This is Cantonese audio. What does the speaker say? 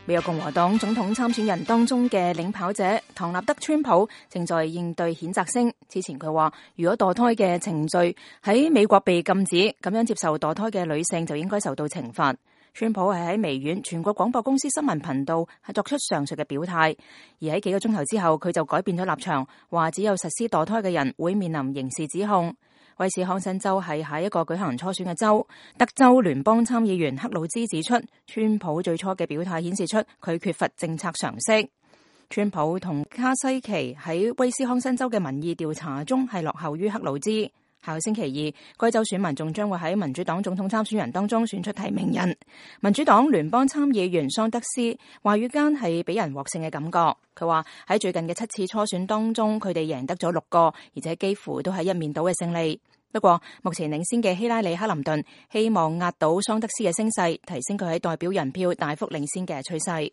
美國共和黨總統參選人當中嘅領跑者唐納德川普正在應對譴責聲。之前佢話，如果墮胎嘅程序喺美國被禁止，咁樣接受墮胎嘅女性就應該受到懲罰。川普係喺微軟全國廣播公司新聞頻道係作出上述嘅表態，而喺幾個鐘頭之後，佢就改變咗立場，話只有實施墮胎嘅人會面臨刑事指控。威斯康辛州係下一個舉行初選嘅州，德州聯邦參議員克魯茲指出，川普最初嘅表態顯示出佢缺乏政策常識。川普同卡西奇喺威斯康辛州嘅民意調查中係落後於克魯茲。下個星期二，該州選民仲將會喺民主黨總統參選人當中選出提名人。民主黨聯邦參議員桑德斯話語間係俾人獲勝嘅感覺。佢話喺最近嘅7次初選當中，佢哋贏得咗6個，而且幾乎都係一面倒嘅勝利。不過，目前領先嘅希拉里克林頓希望壓倒桑德斯嘅聲勢，提升佢喺代表人票大幅領先嘅趨勢。